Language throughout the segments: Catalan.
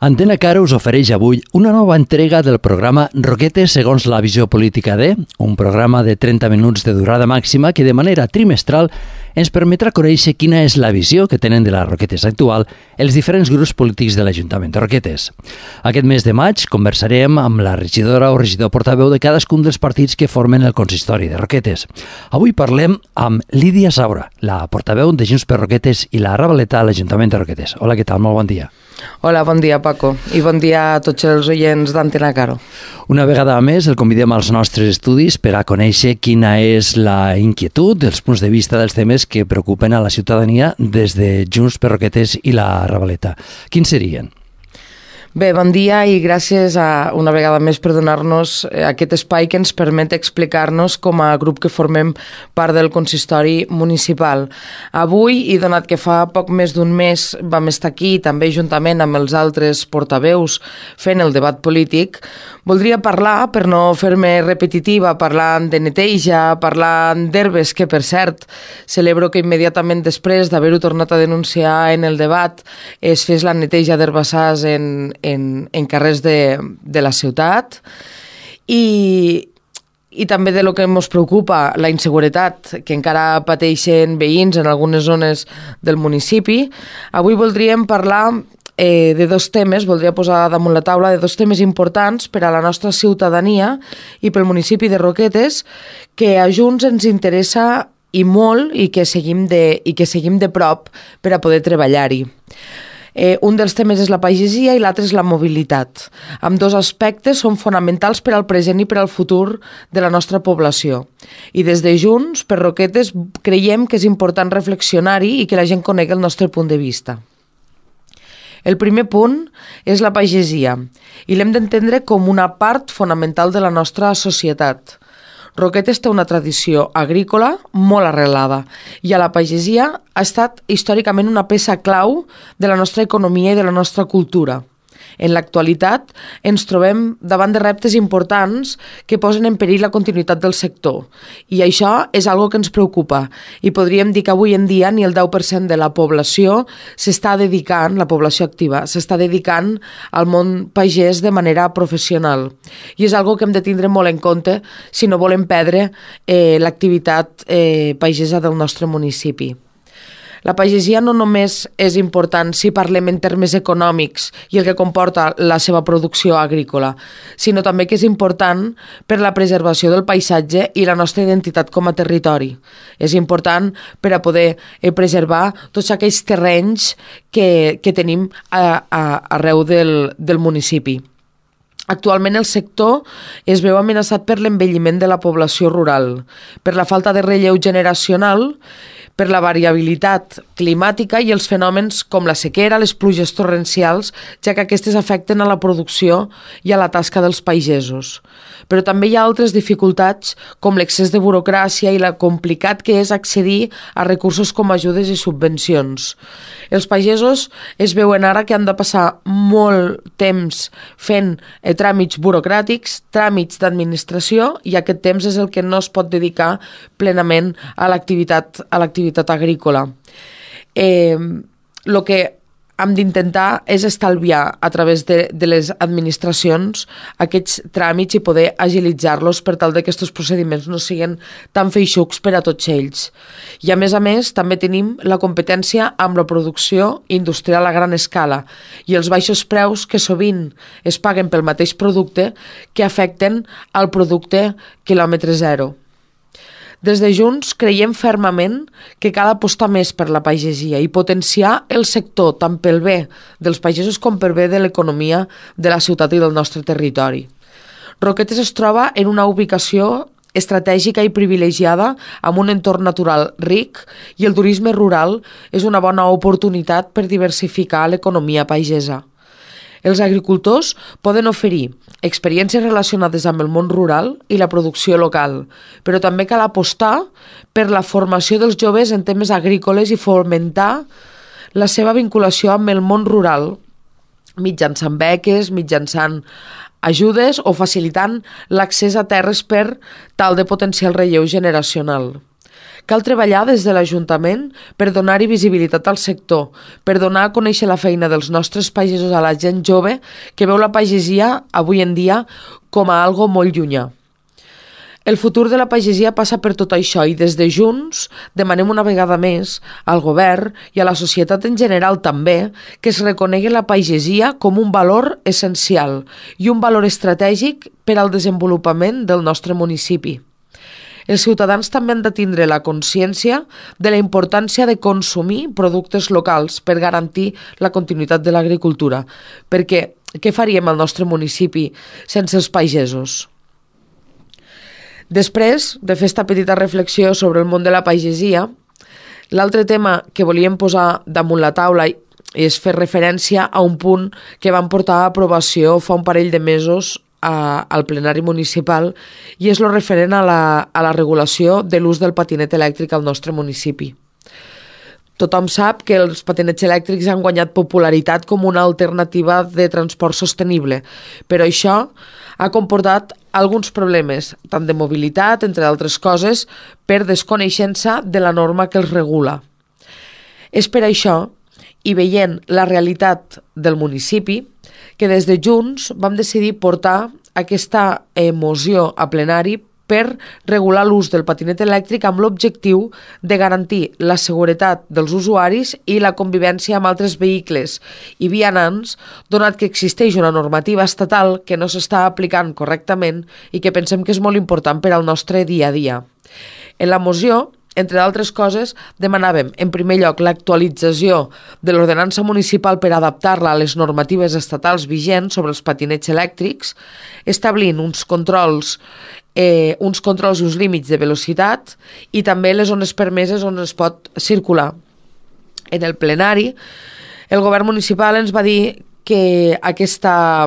Antena Caro us ofereix avui una nova entrega del programa Roquetes segons la visió política de, un programa de 30 minuts de durada màxima que de manera trimestral ens permetrà conèixer quina és la visió que tenen de la Roquetes actual els diferents grups polítics de l'Ajuntament de Roquetes. Aquest mes de maig conversarem amb la regidora o regidor portaveu de cadascun dels partits que formen el consistori de Roquetes. Avui parlem amb Lídia Saura, la portaveu de Junts per Roquetes i la Ravaleta a l'Ajuntament de Roquetes. Hola, què tal? Molt bon dia. Hola, bon dia, Paco, i bon dia a tots els oients d'Antena Caro. Una vegada més el convidem als nostres estudis per a conèixer quina és la inquietud, els punts de vista dels temes que preocupen a la ciutadania des de Junts per Roquetes i la Ravaleta. Quins serien? Bé, bon dia i gràcies una vegada més per donar-nos aquest espai que ens permet explicar-nos com a grup que formem part del consistori municipal. Avui, i donat que fa poc més d'un mes vam estar aquí, també juntament amb els altres portaveus fent el debat polític, voldria parlar, per no fer-me repetitiva, parlant de neteja, parlant d'herbes, que per cert celebro que immediatament després d'haver-ho tornat a denunciar en el debat es fes la neteja d'herbassars en carrers de la ciutat i també de lo que ens preocupa, la inseguretat que encara pateixen veïns en algunes zones del municipi. Avui voldríem parlar de dos temes, voldria posar damunt la taula de dos temes importants per a la nostra ciutadania i pel municipi de Roquetes que a Junts ens interessa i molt i que seguim de prop per a poder treballar-hi. Un dels temes és la pagesia i l'altre és la mobilitat. Ambdós aspectes són fonamentals per al present i per al futur de la nostra població. I des de Junts per Roquetes creiem que és important reflexionar-hi i que la gent conegui el nostre punt de vista. El primer punt és la pagesia i l'hem d'entendre com una part fonamental de la nostra societat. Roquetes té una tradició agrícola molt arrelada i a la pagesia ha estat històricament una peça clau de la nostra economia i de la nostra cultura. En l'actualitat ens trobem davant de reptes importants que posen en perill la continuïtat del sector i això és algo que ens preocupa i podríem dir que avui en dia ni el 10% de la població s'està dedicant, la població activa, s'està dedicant al món pagès de manera professional i és algo que hem de tindre molt en compte si no volem perdre l'activitat pagesa del nostre municipi. La pagesia no només és important si parlem en termes econòmics i el que comporta la seva producció agrícola, sinó també que és important per la preservació del paisatge i la nostra identitat com a territori. És important per a poder preservar tots aquells terrenys que tenim arreu del municipi. Actualment el sector es veu amenaçat per l'envelliment de la població rural, per la falta de relleu generacional, per la variabilitat climàtica i els fenòmens com la sequera, les pluges torrencials, ja que aquestes afecten a la producció i a la tasca dels pagesos. Però també hi ha altres dificultats com l'excés de burocràcia i la complicat que és accedir a recursos com ajudes i subvencions. Els pagesos es veuen ara que han de passar molt temps fent tràmits burocràtics, tràmits d'administració i aquest temps és el que no es pot dedicar plenament a l'activitat agrícola. El que hem d'intentar és estalviar a través de les administracions aquests tràmits i poder agilitzar-los per tal que aquests procediments no siguin tan feixucs per a tots ells. I a més, també tenim la competència amb la producció industrial a gran escala i els baixos preus que sovint es paguen pel mateix producte que afecten al producte quilòmetre zero. Des de Junts creiem fermament que cal apostar més per la pagesia i potenciar el sector tant pel bé dels pagesos com per bé de l'economia de la ciutat i del nostre territori. Roquetes es troba en una ubicació estratègica i privilegiada amb un entorn natural ric i el turisme rural és una bona oportunitat per diversificar l'economia pagesa. Els agricultors poden oferir experiències relacionades amb el món rural i la producció local, però també cal apostar per la formació dels joves en temes agrícoles i fomentar la seva vinculació amb el món rural mitjançant beques, mitjançant ajudes o facilitant l'accés a terres per tal de potenciar el relleu generacional. Cal treballar des de l'Ajuntament per donar-hi visibilitat al sector, per donar a conèixer la feina dels nostres pagesos a la gent jove que veu la pagesia avui en dia com a algo molt llunyà. El futur de la pagesia passa per tot això i des de Junts demanem una vegada més al govern i a la societat en general també que es reconegui la pagesia com un valor essencial i un valor estratègic per al desenvolupament del nostre municipi. Els ciutadans també han de tindre la consciència de la importància de consumir productes locals per garantir la continuïtat de l'agricultura, perquè què faríem al nostre municipi sense els pagesos? Després de fer esta petita reflexió sobre el món de la pagesia, l'altre tema que volíem posar damunt la taula és fer referència a un punt que vam portar a aprovació fa un parell de mesos al plenari municipal i és el referent a la regulació de l'ús del patinet elèctric al nostre municipi. Tothom sap que els patinets elèctrics han guanyat popularitat com una alternativa de transport sostenible, però això ha comportat alguns problemes, tant de mobilitat, entre altres coses, per desconeixença de la norma que els regula. És per això, i veient la realitat del municipi, que des de Junts vam decidir portar aquesta moció a plenari per regular l'ús del patinet elèctric amb l'objectiu de garantir la seguretat dels usuaris i la convivència amb altres vehicles i vianants, donat que existeix una normativa estatal que no s'està aplicant correctament i que pensem que és molt important per al nostre dia a dia. En la moció, entre d'altres coses, demanàvem, en primer lloc, l'actualització de l'ordenança municipal per adaptar-la a les normatives estatals vigents sobre els patinets elèctrics, establint uns controls i uns límits de velocitat i també les zones permeses on es pot circular. En el plenari, el govern municipal ens va dir que aquesta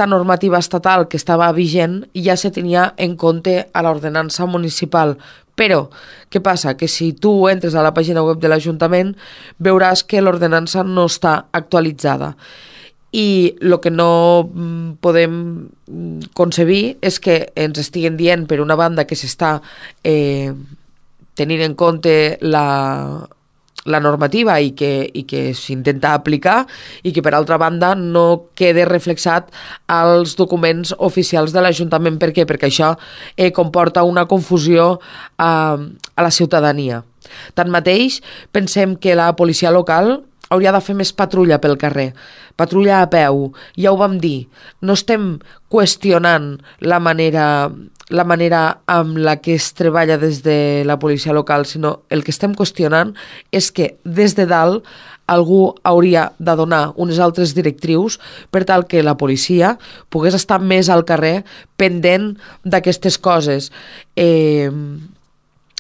normativa estatal que estava vigent ja se tenia en compte a l'ordenança municipal. Però, què passa? Que si tu entres a la pàgina web de l'Ajuntament veuràs que l'ordenança no està actualitzada. I el que no podem concebir és que ens estiguen dient, per una banda, que s'està tenint en compte la normativa i que s'intenta aplicar i que, per altra banda, no quede reflexat als documents oficials de l'Ajuntament. Per què? Perquè això comporta una confusió a la ciutadania. Tanmateix, pensem que la policia local hauria de fer més patrulla pel carrer, patrulla a peu, ja ho vam dir, no estem qüestionant la manera amb la que es treballa des de la policia local, sinó el que estem qüestionant és que des de dalt algú hauria de donar unes altres directrius per tal que la policia pogués estar més al carrer pendent d'aquestes coses. En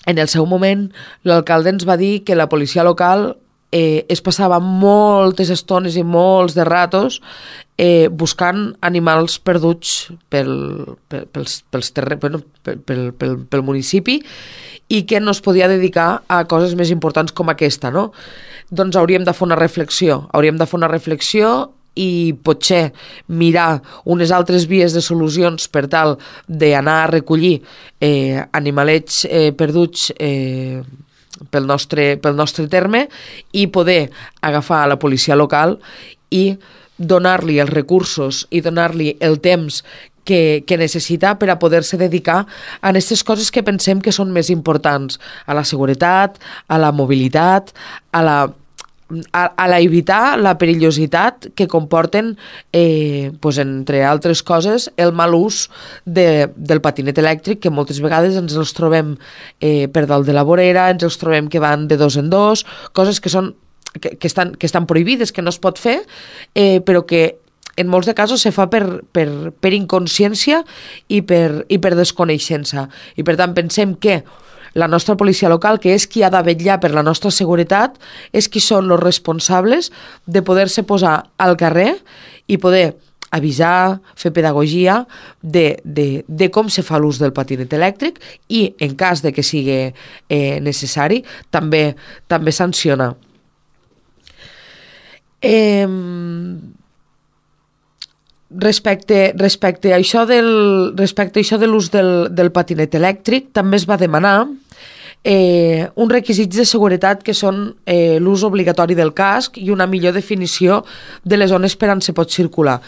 el seu moment, l'alcalde ens va dir que la policia local es passava moltes estones i molts de ratos buscant animals perduts pel municipi i que no es podia dedicar a coses més importants com aquesta, no? Doncs hauríem de fer una reflexió i potser mirar unes altres vies de solucions per tal d'anar a recollir animalets perduts pel nostre terme i poder agafar a la policia local i donar-li els recursos i donar-li el temps que necessita per a poder-se dedicar a aquestes coses que pensem que són més importants, a la seguretat, a la mobilitat, a evitar la perillositat que comporten, entre altres coses, el mal ús del patinet elèctric, que moltes vegades ens els trobem per dalt de la vorera, ens els trobem que van de dos en dos, coses que estan prohibides, que no es pot fer, però que en molts de casos se fa per inconsciència i per desconeixença. I per tant pensem que la nostra policia local, que és qui ha de vetllar per la nostra seguretat, és qui són els responsables de poder-se posar al carrer i poder avisar, fer pedagogia de com se fa l'ús del patinet elèctric i, en cas de que sigui necessari, també sancionar. Respecte a això de l'ús del patinet elèctric, també es va demanar uns requisits de seguretat que són l'ús obligatori del casc i una millor definició de les zones per on se pot circular,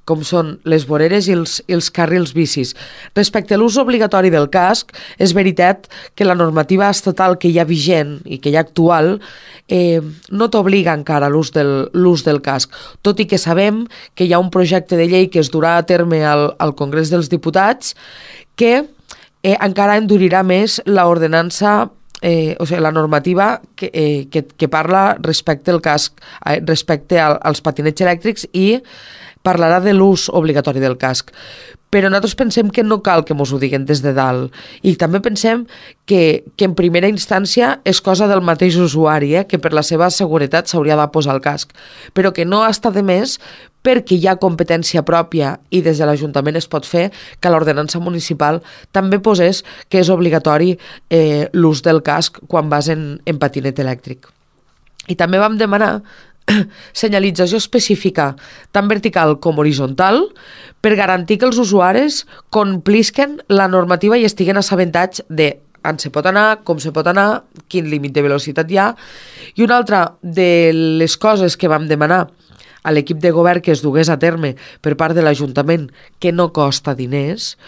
com són les voreres i els carrils bicis. Respecte a l'ús obligatori del casc, és veritat que la normativa estatal que hi ha vigent i que hi ha actual no t'obliga encara a l'ús del casc, tot i que sabem que hi ha un projecte de llei que es durà a terme al Congrés dels Diputats que encara endurirà més l'ordenança, la normativa que parla respecte al casc, respecte als patinets elèctrics, i parlarà de l'ús obligatori del casc. Però nosaltres pensem que no cal que mos ho diguen des de dalt. I també pensem que en primera instància és cosa del mateix usuari, que per la seva seguretat s'hauria de posar el casc. Però que no està de més, perquè hi ha competència pròpia i des de l'Ajuntament es pot fer, que l'ordenança municipal també posés que és obligatori l'ús del casc quan vas en patinet elèctric. I també vam demanar senyalització específica, tant vertical com horitzontal, per garantir que els usuaris complisquen la normativa i estiguen assabentats de on se pot anar, com se pot anar, quin límit de velocitat hi ha. I una altra de les coses que vam demanar a l'equip de govern que es dugués a terme per part de l'Ajuntament, que no costa diners,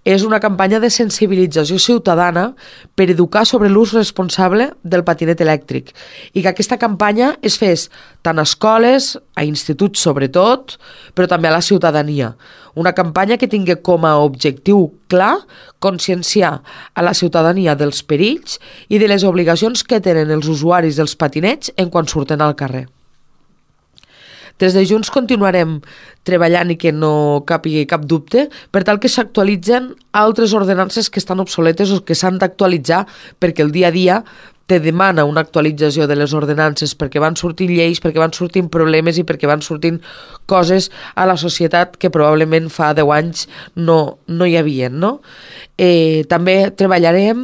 és una campanya de sensibilització ciutadana per educar sobre l'ús responsable del patinet elèctric, i que aquesta campanya es fes tant a escoles, a instituts sobretot, però també a la ciutadania. Una campanya que tingui com a objectiu clar conscienciar a la ciutadania dels perills i de les obligacions que tenen els usuaris dels patinets en quan surten al carrer. Des de Junts continuarem treballant i que no capigui cap dubte per tal que s'actualitzen altres ordenances que estan obsoletes o que s'han d'actualitzar, perquè el dia a dia te demana una actualització de les ordenances, perquè van sortint lleis, perquè van sortint problemes i perquè van sortint coses a la societat que probablement fa 10 anys no hi havien, no? També treballarem,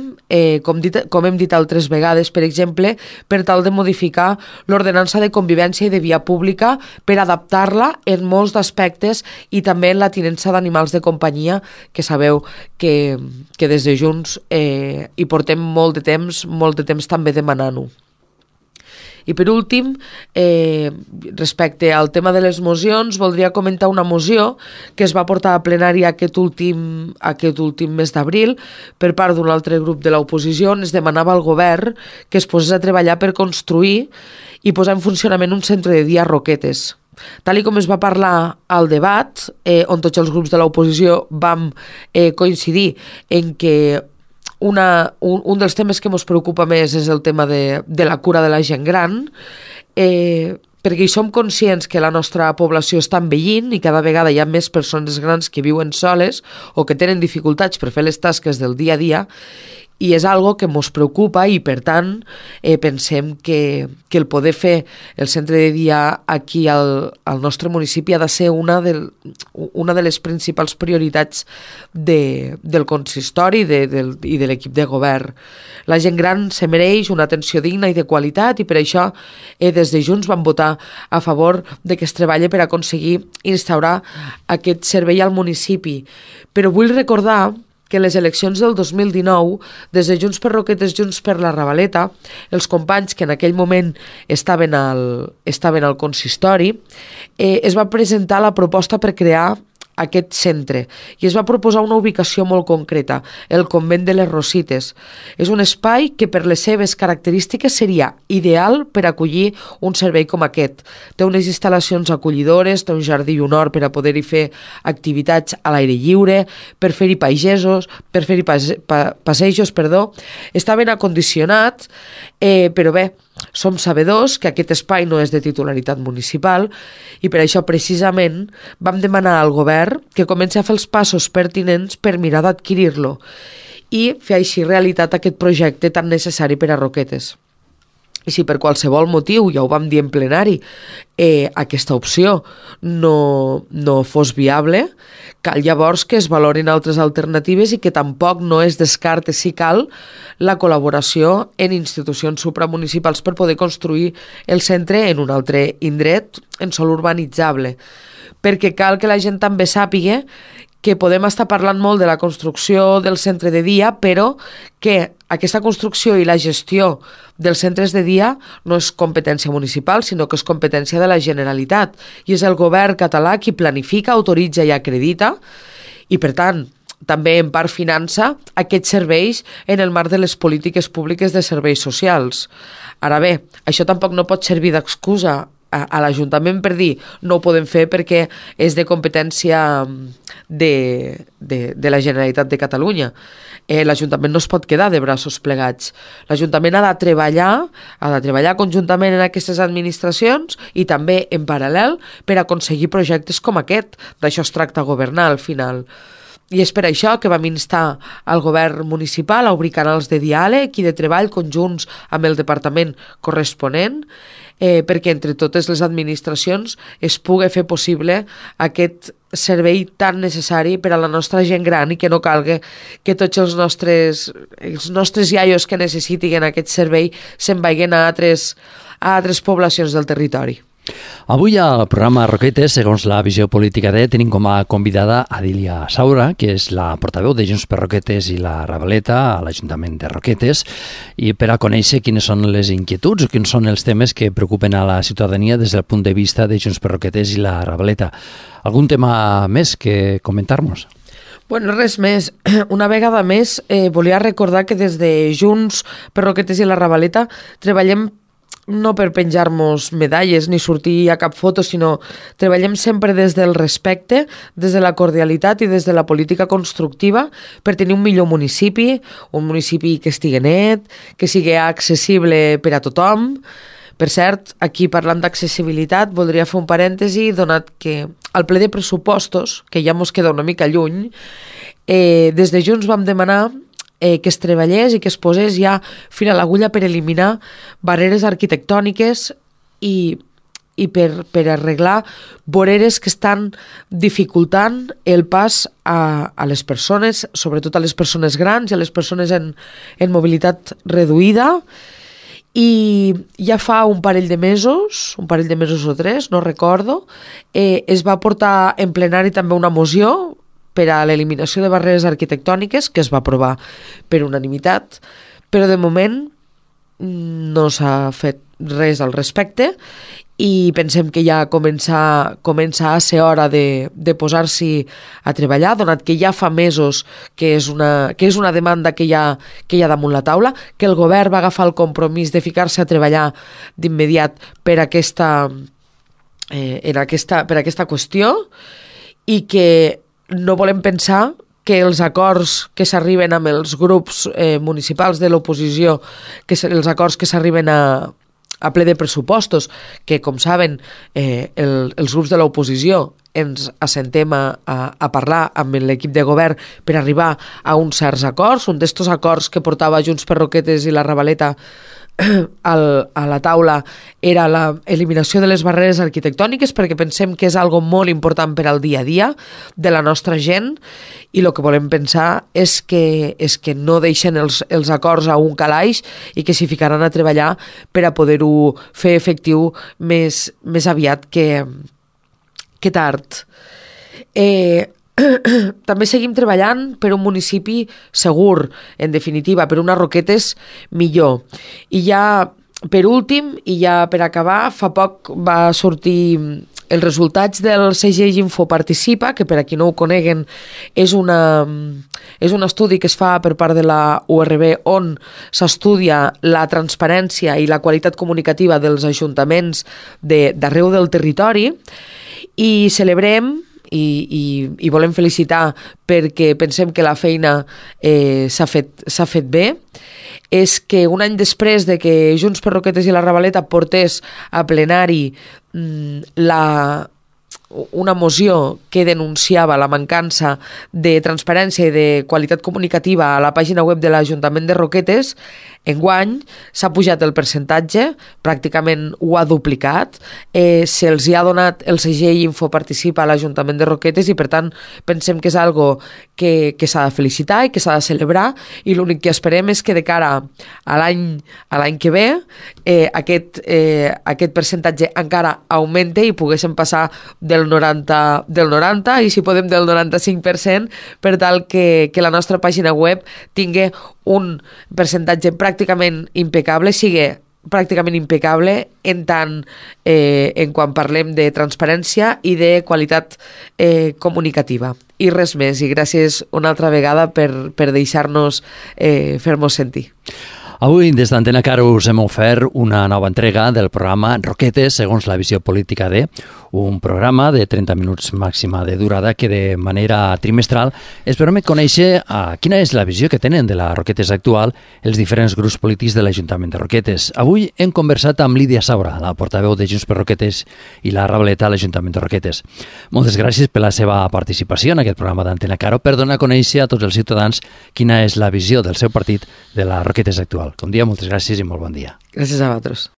com hem dit altres vegades, per exemple, per tal de modificar l'ordenança de convivència i de via pública per adaptar-la en molts aspectes i també en la tinença d'animals de companyia, que sabeu que des de Junts hi portem molt de temps també demanant-ho. I per últim, respecte al tema de les mocions, voldria comentar una moció que es va portar a plenari aquest últim mes d'abril per part d'un altre grup de l'oposició, on es demanava al govern que es posés a treballar per construir i posar en funcionament un centre de dia a Roquetes. Tal com es va parlar al debat, on tots els grups de l'oposició vam coincidir en que un dels temes que ens preocupa més és el tema de la cura de la gent gran, perquè hi som conscients que la nostra població està envellint i cada vegada hi ha més persones grans que viuen soles o que tenen dificultats per fer les tasques del dia a dia, i és algo que ens preocupa i, per tant, pensem que el poder fer el centre de dia aquí al nostre municipi ha de ser una de les principals prioritats del consistori i de l'equip de govern. La gent gran se mereix una atenció digna i de qualitat, i per això des de Junts vam votar a favor de que es treballi per aconseguir instaurar aquest servei al municipi. Però vull recordar que en les eleccions del 2019, des de Junts per Roquetes, Junts per la Ravaleta, els companys que en aquell moment estaven al consistori, es va presentar la proposta per crear aquest centre i es va proposar una ubicació molt concreta, el convent de les Rosites. És un espai que per les seves característiques seria ideal per acollir un servei com aquest. Té unes instal·lacions acollidores, té un jardí i un hort per a poder-hi fer activitats a l'aire lliure, per fer-hi passejos, està ben acondicionat, però bé, som sabedors que aquest espai no és de titularitat municipal i per això precisament vam demanar al govern que comenci a fer els passos pertinents per mirar d'adquirir-lo i fer així realitat aquest projecte tan necessari per a Roquetes. I si per qualsevol motiu, ja ho vam dir en plenari, aquesta opció no fos viable, cal llavors que es valorin altres alternatives i que tampoc no es descarte, si cal, la col·laboració en institucions supramunicipals per poder construir el centre en un altre indret en sòl urbanitzable. perquè cal que la gent també sàpiga que podem estar parlant molt de la construcció del centre de dia, però que aquesta construcció i la gestió dels centres de dia no és competència municipal, sinó que és competència de la Generalitat. I és el govern català qui planifica, autoritza i acredita, i per tant també en part finança aquests serveis en el marc de les polítiques públiques de serveis socials. Ara bé, això tampoc no pot servir d'excusa a l'Ajuntament per dir no ho podem fer perquè és de competència de la Generalitat de Catalunya. L'Ajuntament no es pot quedar de braços plegats. L'Ajuntament ha de treballar conjuntament en aquestes administracions i també en paral·lel per aconseguir projectes com aquest. D'això es tracta governar al final. I és per això que vam instar al govern municipal a obrir canals de diàleg i de treball conjunts amb el departament corresponent, perquè entre totes les administracions es pugui fer possible aquest servei tan necessari per a la nostra gent gran i que no calgui que tots els nostres iaios que necessitin aquest servei se'n vagin a altres poblacions del territori. Avui al programa Roquetes, segons la visió política de, tenim com a convidada Adília Saura, que és la portaveu de Junts per Roquetes i la Ravaleta a l'Ajuntament de Roquetes, i per a conèixer quines són les inquietuds o quins són els temes que preocupen a la ciutadania des del punt de vista de Junts per Roquetes i la Ravaleta. Algun tema més que comentar-nos? Bueno, res més. Una vegada més, volia recordar que des de Junts per Roquetes i la Ravaleta treballem no per penjar-nos medalles ni sortir a cap foto, sinó treballem sempre des del respecte, des de la cordialitat i des de la política constructiva per tenir un millor municipi, un municipi que estigui net, que sigui accessible per a tothom. Per cert, aquí parlant d'accessibilitat, voldria fer un parèntesi, donat que al ple de pressupostos, que ja mos queda una mica lluny, des de Junts vam demanar que es treballés i que es posés ja fil a l'agulla per eliminar barreres arquitectòniques i per arreglar voreres que estan dificultant el pas a les persones, sobretot a les persones grans i a les persones en mobilitat reduïda. I ja fa un parell de mesos o 3, no recordo, es va portar en plenari també una moció per a l'eliminació de barreres arquitectòniques, que es va aprovar per unanimitat, però de moment no s'ha fet res al respecte i pensem que ja comença a ser hora de posar-s'hi a treballar, donat que ja fa mesos que és una demanda que hi ha damunt la taula, que el govern va agafar el compromís de ficar-se a treballar d'immediat per aquesta qüestió i que no volem pensar que els acords que s'arriben amb els grups municipals de l'oposició, els acords que s'arriben a ple de pressupostos, que com saben els grups de l'oposició ens assentem a parlar amb l'equip de govern per arribar a uns certs acords. Un d'estos acords que portava Junts per Roquetes i la Ravaleta a la taula era l'eliminació de les barreres arquitectòniques, perquè pensem que és algo molt important per al dia a dia de la nostra gent, i el que volem pensar és que no deixen els acords a un calaix i que s'hi ficaran a treballar per a poder-ho fer efectiu més aviat que tard. També seguim treballant per un municipi segur, en definitiva, per unes Roquetes millor. I ja, per últim, i ja per acabar, fa poc va sortir els resultats del segell Info Participa, que per a qui no ho coneguen és un estudi que es fa per part de la URB on s'estudia la transparència i la qualitat comunicativa dels ajuntaments d'arreu del territori, i celebrem i volem felicitar perquè pensem que la feina s'ha fet bé, és que un any després de que Junts per Roquetes i la Ravaleta portés a plenari una moció que denunciava la mancança de transparència i de qualitat comunicativa a la pàgina web de l'Ajuntament de Roquetes, enguany s'ha pujat el percentatge, pràcticament ho ha duplicat, se'ls ha donat el segell Info Participa a l'Ajuntament de Roquetes i per tant pensem que és algo que s'ha de felicitar i que s'ha de celebrar, i l'únic que esperem és que de cara a l'any que ve aquest percentatge encara augmente i poguéssim passar del del 90 i si podem del 95% per tal que la nostra pàgina web tingui un percentatge pràcticament impecable, sigui pràcticament impecable en tant en quan parlem de transparència i de qualitat comunicativa. I res més, i gràcies una altra vegada per deixar-nos fer-nos sentir. Avui, des d'Antena Caro, us hem ofert una nova entrega del programa Roquetes segons la visió política de, un programa de 30 minuts màxima de durada que de manera trimestral es permet conèixer quina és la visió que tenen de la Roquetes actual els diferents grups polítics de l'Ajuntament de Roquetes. Avui hem conversat amb Lídia Saura, la portaveu de Junts per Roquetes i la Rableta a l'Ajuntament de Roquetes. Moltes gràcies per la seva participació en aquest programa d'Antena Caro per donar a conèixer a tots els ciutadans quina és la visió del seu partit de la Roquetes actual. Com dia, moltes gràcies i molt bon dia. Gràcies a vosaltres.